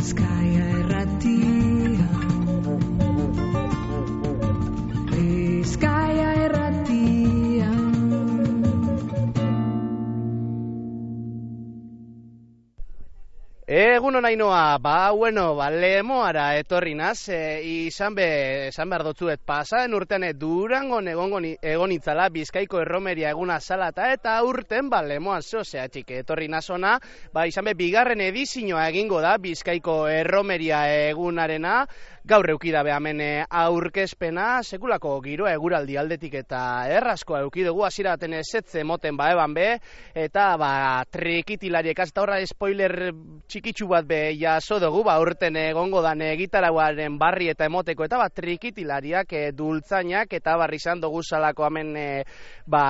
Bizkaia Irratia. Bizkaia Irratia. Egunon Ainoa, Lemoara etorri naz, izan behar dotzuet pasaden urtean Durangon egon itzala Bizkaiko erromeria eguna zalata eta urten Lemoan zehatzik etorri nazona, izan be bigarren edizioa egingo da Bizkaiko erromeria egunarena. Gaur eukidabe hemen aurkezpena, sekulako giroa eguraldi aldetik eta erraskoa eukidugu, hasiera baten ezetze moten eban be, eta trikitilariek, eta horra spoiler txikitsu bat be jaso dugu, urten egongo dan gitarauaren barri eta emoteko, eta trikitilariak, dultzainak, eta barri izan dugu salako hemen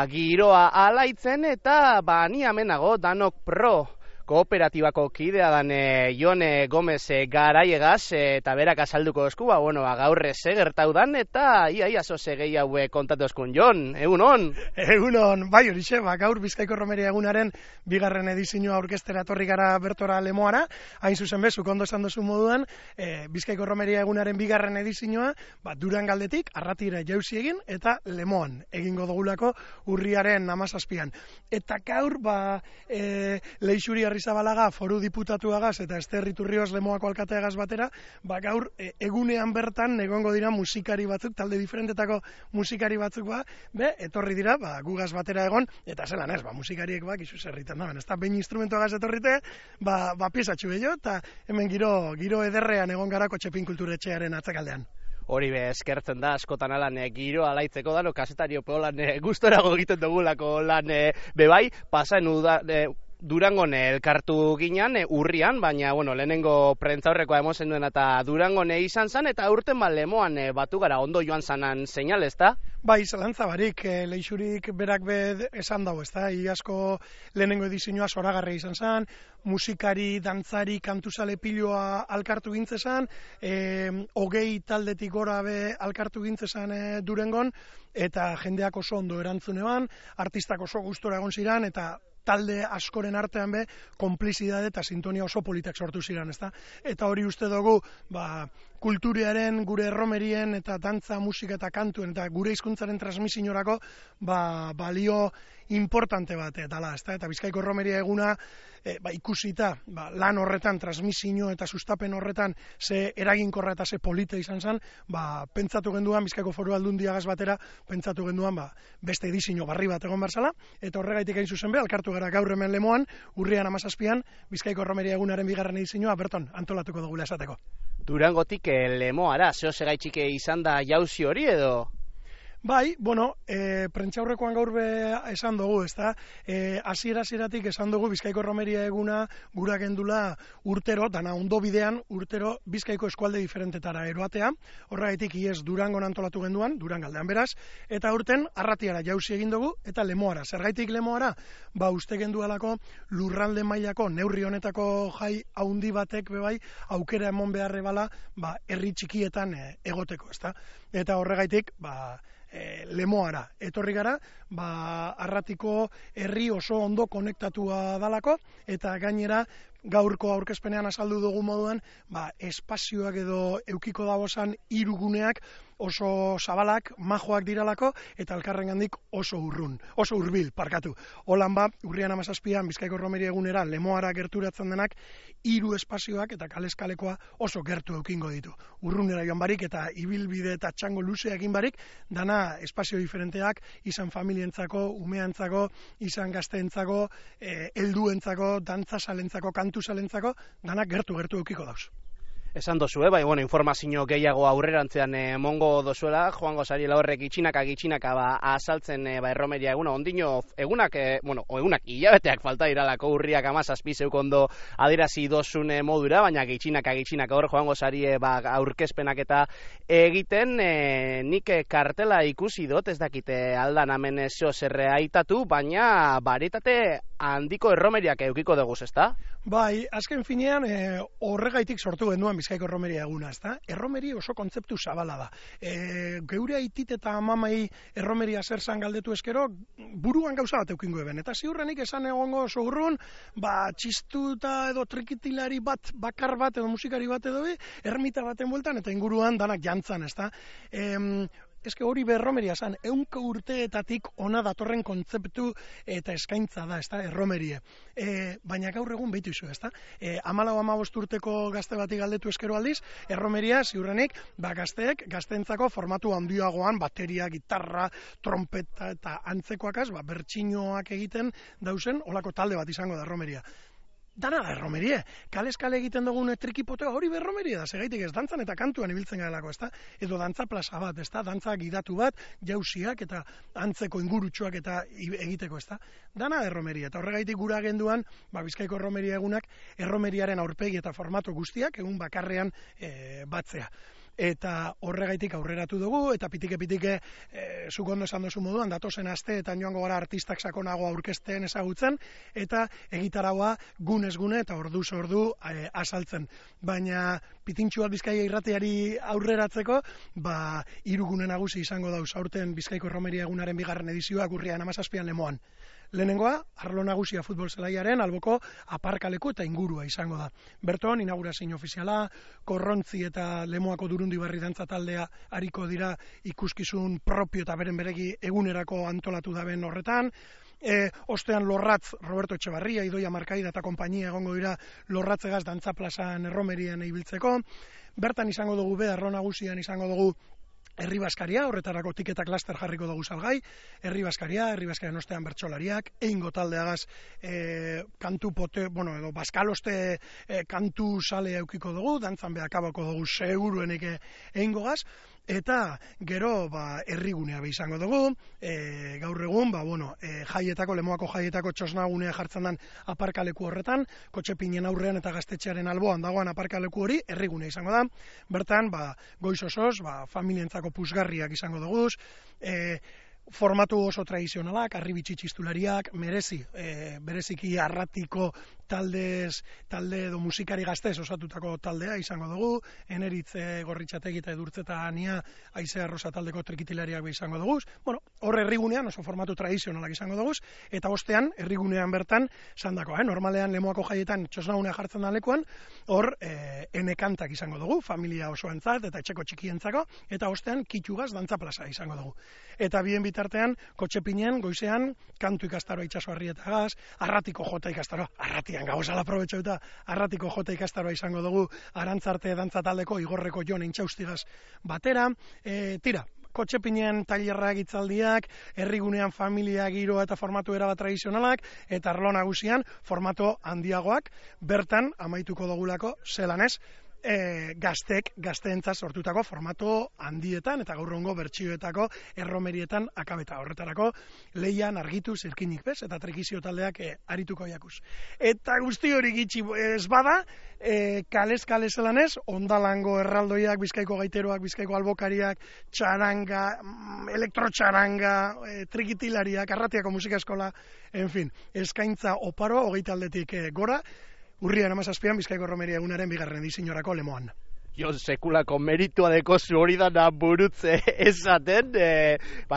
giroa alaitzen, eta ni amenago danok pro kooperatibako kidea dan Jone Gomez Garaiegaz, eta berak azalduko esku, gaur gertau dan, eta ia zoze gehi hau kontatu eskun. Jon, egunon? Egunon, bai horixe, gaur Bizkaiko erromeria egunaren bigarren edizioa aurkeztera etorri gara bertora Lemoara, hain zuzen bezuk ondo esan duzu moduan, Bizkaiko erromeria egunaren bigarren edizioa, Durangaldetik, Arratira jauzi egin, eta Lemoan egingo dugulako urriaren 17an. Eta gaur, Leixuri Arrizabalaga foru diputatuagaz eta Ester Iturrioz Lemoako alkateagaz batera, gaur egunean bertan egongo dira musikari batzuk, talde diferentetako musikari batzuk etorri dira, gugaz batera egon, eta zelan ez, musikariek izu zerritan da, ez da behin instrumentuagaz etorrite, piezatxu gehiago, eta hemen giro ederrean egon garako Txepin Kulturetxearen atzakaldean. Hori eskertzen da, askotan alan giro alaitzeko dano, kasetario peolan gustorago egiten dugulako lan bebai, pasaen Durangon elkartu ginean urrian, baina lehenengo prentzaurrekoa emozen duen eta Durangon izan zen, eta urten Lemoan batu gara ondo joan zanan seinal, ez da? Zelantza barik, Leixurik berak esan dago, ez da? Iasko lehenengo edizioa zoragarria izan zen, musikari, dantzari, kantuzale piloa alkartu gintzezan, 20 taldetik gora alkartu gintzezan Durangon, eta jendeak oso ondo erantzunean, artistak oso gustora egon ziren, eta talde askoren artean konplizidade eta sintonia oso politak sortu ziren, ezta? Eta hori uste dugu, kulturiaren, gure erromerien eta dantza, musika eta kantuen eta gure hizkuntzaren transmisiorako balio importante bat dela, ezta? Eta Bizkaiko erromeria eguna ikusita lan horretan, transmisio eta sustapen horretan ze eraginkorra eta ze polita izan zen, pentsatu genduan, Bizkaiko Foru Aldundiagaz batera, pentsatu genduan beste edizio barri bat egon berzala, eta horregaitik hain zuzen alkartu gara gaur hemen Lemoan, urrian 17an, Bizkaiko erromeria egunaren bigarren edizioa berton antolatuko dugula esateko. Durangotik Lemoara, zehozegaitxik izan da jauzi hori edo? Prentxaurrekoan gaur esan dugu, ezta? Hasieratik esan dugu Bizkaiko erromeria eguna gura gendula urtero, dana ondo bidean urtero Bizkaiko eskualde diferentetara eroatea, horregaitik iez Durangon antolatu genduan, Durangaldean beraz, eta urten Arratiara jauzi egin dugu, eta Lemoara. Zergaitik Lemoara? Uste gendualako lurralde mailako, neurri honetako jai haundi batek aukera emon beharre bala, herri txikietan egoteko, ezta? Eta horregaitik, Lemoara etorri gara, Arratiko herri oso ondo konektatua dalako, eta gainera gaurko aurkezpenean azaldu dugu moduan, espazioak edo eukiko dagosan hiruguneak oso zabalak, majoak diralako, eta elkarrengandik oso hurbil, parkatu. Holan urrian 17an Bizkaiko erromeria egunera Lemoara gerturatzen denak, 3 espazioak eta kaleskalekoa oso gertu eukingo ditu. Urrunera joan barik eta ibilbide eta txango luzeak barik, dana espazio diferenteak, izan familientzako, umeantzako, izan gazteentzako, helduentzako, dantzasalentzako, kantusalentzako, dana gertu eukiko dauz. Esan dozu, informazio gehiago aurrerantzean emongo dozuela, joango zariela horrek gitxinaka azaltzen erromeria eguna, ondino egunak hilabeteak falta iralako urriak 17 zeuko ondo adirazi dozun modura, baina gitxinaka hor joango zari aurkezpenak eta egiten, nik kartela ikusi dut, ez dakite aldan hemen zerre aitatu, baina baritate handiko erromeriak eukiko dugu, ezta? Azken finean horregaitik sortu genduan Bizkaiko erromeria eguna, ezta? Erromeria oso kontzeptu zabala da. Geure aitit eta amamai erromeria zer zan galdetu eskero, buruan gauza bat eukingo eben. Eta ziurrenik esan egongo oso urrun, txistuta edo trikitilari bat, bakar bat edo musikari bat edo ermita baten bueltan eta inguruan danak jantzan, ezta? Eske hori berromeria zan, 100 urteetatik ona datorren kontzeptu eta eskaintza da, ezta, erromerie. Baina gaur egun behitu izu, ezta? 14-15 urteko gazte bati galdetu eskero aldiz, erromeria ziurrenik, gazteentzako formatu handiagoan, bateria, gitarra, trompeta eta antzekoakaz, bertsinoak egiten dauzen, olako talde bat izango da erromeria. Dana da erromerie, kale egiten dugun trikipotea hori berromerie da, segaitik ez dantzan eta kantuan ibiltzen garelako, ezta? Edo dantza plaza bat, ezta? Dantza gidatu bat, jausiak eta antzeko ingurutsuak eta egiteko, ezta? Dana da erromerie, eta horregaitik gura agenduan, Bizkaiko erromeria egunak, erromeriaren aurpegi eta formato guztiak egun bakarrean batzea. Eta horregaitik aurreratu dugu, eta pitike, zuk ondo esan duzu moduan, datozen aste eta joango gara artistak sakonago aurkezten ezagutzen, eta egitaraua gunez gune eta orduz ordu azaltzen. Baina pitintxu bat Bizkaia irratiari aurreratzeko, 3 gune nagusi izango dauz aurten Bizkaiko erromeria egunaren 2. edizioak urrian 17an Lemoan. Lehenengoa, arlo nagusia futbol zelaiaren alboko aparkaleku eta ingurua izango da. Berton, inaugurazio ofiziala, Korrontzi eta Lemoako Durundibarri dantza taldea ariko dira ikuskizun propio eta beren beregi egunerako antolatu daben horretan. Ostean Lorratz, Roberto Etxebarria, Idoia Markaida eta konpainia egongo dira Lorratzegaz dantza plazan erromerian ibiltzeko. Bertan izango dugu arlo nagusian izango dugu Herri Baskaria, horretarako tiketak laster jarriko dugu salgai, Herri Baskarian ostean bertsolariak, eingo taldeagaz kantu edo baskaloste kantu sale eukiko dugu, dantzan behakabako dugu seguruenik eingogaz, eta gero herrigunea izango dugu, gaur egun, jaietako, Lemoako jaietako txosnagunea jartzen den aparkaleku horretan, Kotxepinen aurrean eta Gaztetxearen alboan dagoen aparkaleku hori herrigunea izango da. Bertan, goiz osoz, familientzako puzgarriak izango dugu, formatu oso tradizionalak, arribitsi txistulariak, bereziki arratiko talde edo musikari gaztez osatutako taldea izango dugu, Eneritz Gorritxategi eta Edurtzeta Ania Aizea Rosa taldeko trikitilariak izango dugu. Hor herrigunean oso formatu tradizionalak izango dugu, eta ostean herrigunean bertan sandakoa, normalean Lemoako jaietan txosnagunea jartzen da lekuan, hor enekantak izango dugu, familia osoentzat eta etxeko txikientzako, eta ostean kitxugaz dantza plaza izango dugu. Eta bien bitartean, Kotxepinen goizean kantu ikastaroa itsasoarrietagaz, arratiko jota ikastaroa, arratian gauzala aprobetxauta, arratiko jota ikastaroa izango dugu, Arantzarte dantza taldeko Igorreko Jon Intxaustigaz batera, Kotxepinen tailerrak hitzaldiak, herrigunean familia giroa eta formatu erabat tradizionalak, eta arlo nagusian formato handiagoak, bertan amaituko dugulako zelan ez, gazteentzat sortutako formato handietan eta gaurrongo bertsioetako erromerietan akabeta horretarako leian argitu zirkinik bez eta trekizio taldeak arituko jakuz. Eta guzti hori gitxi ez bada, kalez zelan ez, ondalango erraldoiak, Bizkaiko gaiteroak, Bizkaiko albokariak, txaranga, elektrotxaranga, trikitilariak, arratiako musika eskola, eskaintza oparo, 20 aldetik gora, urrian 17an Bizkaiko erromeria egunaren 2. ediziorako Lemoan. Sekulako meritua dekozu hori da burutze esaten,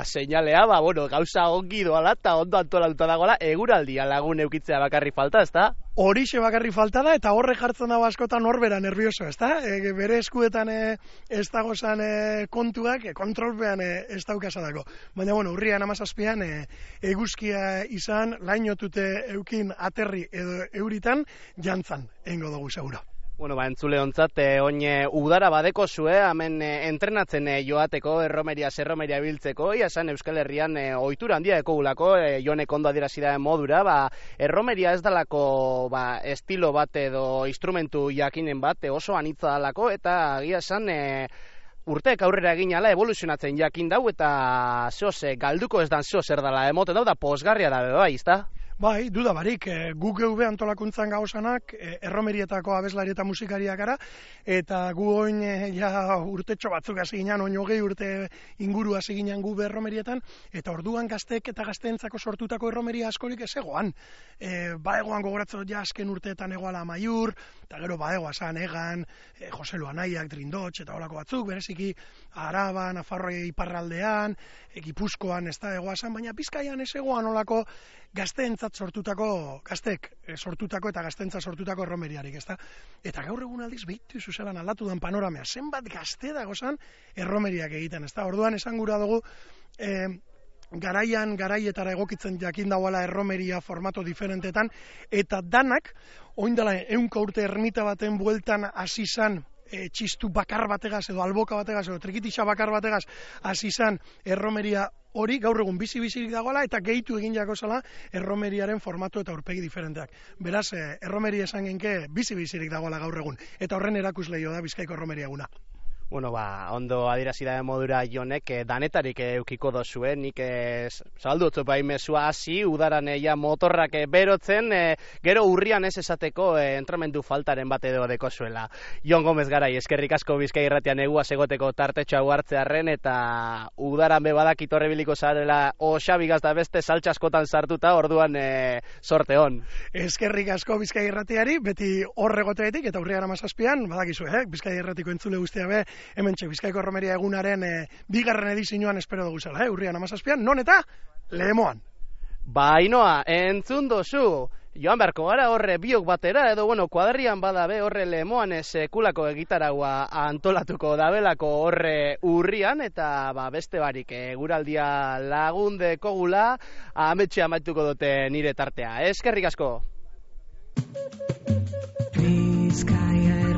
seinalea, gauza ongi doala eta ondo antolatuta dagoela, eguraldia lagun eukitzea bakarri falta, ezta? Horixe bakarri falta da, eta horre jartzen dago askotan horbera nervioso, ezta? Bere eskuetan ez dagozan kontuak, kontrolpean ez daukazadako. Baina, urrian 17an eguzkia izan, lainotute eukin aterri edo euritan, jantzan, eingo dugu seguro. Entzule ontzat, oin udara badeko zue, hemen entrenatzen joateko, erromeria biltzeko, esan Euskal Herrian ohitura handia ekogulako, Jonek ondo adierazi da modura, erromeria ez dalako estilo bat edo instrumentu jakinen bat, oso anitza dalako, eta agia esan urteek aurrera egin ala evoluzionatzen jakin dau, eta galduko ez dan zer dala emoten dau, da posgarria da bai, izta? Bai, duda barik, guk geube antolakuntzan gauzanak, erromerietako abeslari eta musikariak gara, eta gu oin ja urtetxo batzuk hasi ginen, oin hogei urte inguru hasi ginen gu erromerietan, eta orduan gaztek eta gazteentzako sortutako erromeria askorik ez egoan. Baegoan gogoratzen ja azken urteetan egoala Maiur, eta gero baegoa zan Egan, Jose Luanaiak, Drindotx, eta horako batzuk, bereziki Araban, Nafarroa iparraldean, Gipuzkoan ez da egoa zan, baina Bizkaian ez egoan olako gazteentzat gaztek sortutako eta gazteentzat sortutako erromeriarik, ezta? Eta gaur egun aldiz behitu zuzelan aldatu dan panoramea, zenbat gazte dagozan erromeriak egiten, ezta? Orduan esan gura dugu, garaietara egokitzen jakin dagoela erromeria formato diferentetan, eta danak, oindala 100 urte ermita baten bueltan hasi izan, txistu bakar bategaz edo alboka bategaz edo trikitixa bakar bategaz hasi izan erromeria hori gaur egun bizi-bizirik dagoela eta gehitu egin jako zela erromeriaren formatu eta aurpegi diferenteak. Beraz, erromeria esan genke bizi-bizirik dagoela gaur egun. Eta horren erakusleio da Bizkaiko erromeria eguna. Bueno, ondo adierazi da modura Jonek, danetarik eukiko dozue, nik zaldutzu bai mesua hasi, udaran motorrak berotzen, gero urrian ez esateko entramendu faltaren bat edo dekozuela. Jon Gomez Garai, eskerrik asko Bizkai Irratian egua segoteko tartetxo hau hartzearren, eta udaran be badakit horrebiliko zarela osabigaz da beste saltxaskotan sartuta, orduan sorte hon. Eskerrik asko Bizkai Irratiari, beti horregoteetik, eta urrian 17an, badakizu, Bizkai Irratiko entzule guztia be, hementxe Bizkaiko erromeria egunaren bigarren edizioan espero dugu zela, urrian 17an, non eta Lemoan. Bainoa, entzun dozu, joan beharko gara horre biok batera, edo kuadrian bada be horre Lemoan sekulako egitaragua antolatuko dabelako horre urrian, eta beste barik guraldia lagundeko gula, ametxe amaituko dute nire tartea. Eskerrik asko! Bizkaia